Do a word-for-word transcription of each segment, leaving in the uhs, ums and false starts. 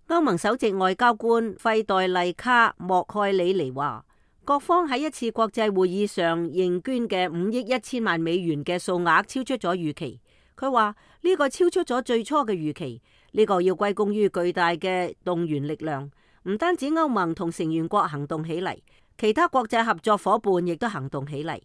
歐盟首席外交官費代麗卡莫蓋里尼話，各方喺一次國際會議上認捐嘅五億一千萬美元嘅數額超出咗預期。佢話呢個超出咗最初嘅預期，呢個要歸功於巨大嘅動員力量。唔單止歐盟同成員國行動起嚟，其他國際合作夥伴亦都行動起嚟。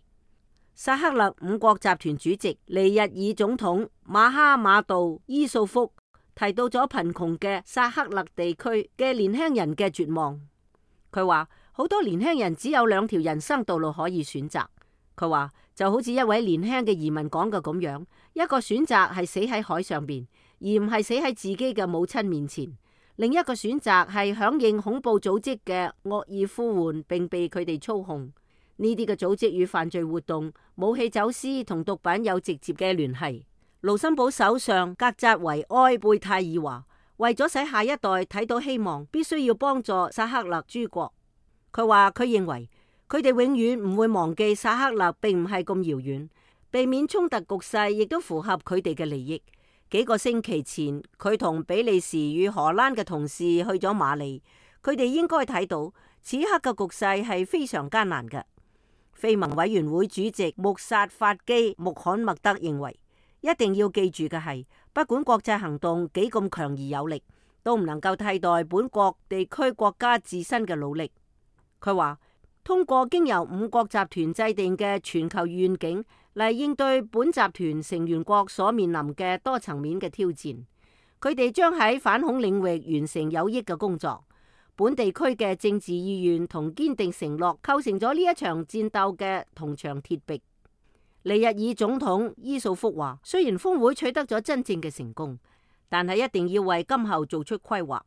薩赫勒五國集團主席尼日爾總統馬哈馬杜伊素福提到咗貧窮嘅薩赫勒地區嘅年輕人嘅絕望。佢話好多年輕人只有兩條人生道路可以選擇。佢話就好似一位年輕嘅移民講嘅咁樣，一個選擇係死喺海上邊，而唔係死喺自己嘅母親面前；另一個選擇係響應恐怖組織嘅惡意呼喚，並被佢哋操控。呢啲嘅組織與犯罪活動、武器走私同毒品有直接嘅聯繫。盧森堡首相格扎維埃貝泰爾話，為咗使下一代睇到希望，必須要幫助薩赫勒諸國。佢話佢認為佢哋永遠唔會忘記薩赫勒並唔係咁遙遠，避免衝突局勢亦都符合佢哋嘅利益。幾個星期前，佢同比利時與荷蘭嘅同事去咗馬里，佢哋應該睇到此刻嘅局勢係非常艱難嘅。非盟委員會主席穆薩法基穆罕默德認為，一定要記住嘅係，不管國際行動幾咁強而有力，都唔能夠替代本國地區國家自身嘅努力。佢話，通過經由五國集團制定嘅全球願景嚟應對本集團成員國所面臨嘅多層面嘅挑戰，佢哋將喺反恐領域完成有益嘅工作。本地區嘅政治意願同堅定承諾構成咗呢一場戰鬥嘅銅牆鐵壁。尼日爾總統伊素福話，雖然峰會取得咗真正嘅成功，但係一定要為今後做出規劃。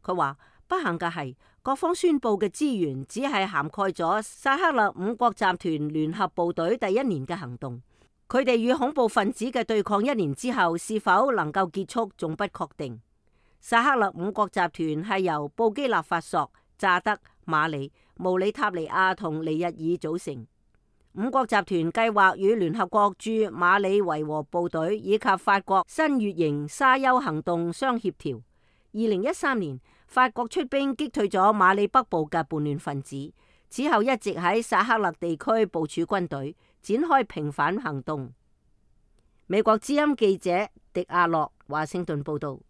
佢話不幸嘅係，各方宣布嘅資源只係涵蓋咗薩赫勒五國集團聯合部隊第一年嘅行動，佢哋與恐怖分子嘅對抗一年之後是否能夠結束，仲不確定。薩赫勒五國集團係由布基納法索、乍得、馬里、毛里塔尼亞同尼日爾組成。五國集團計劃與聯合國駐馬里維和部隊以及法國新月型沙丘行動相協調。二零一三年，法國出兵擊退咗馬里北部嘅叛亂分子，此後一直喺薩赫勒地區部署軍隊，展開平反行動。美國之音記者迪亞洛華盛頓報道。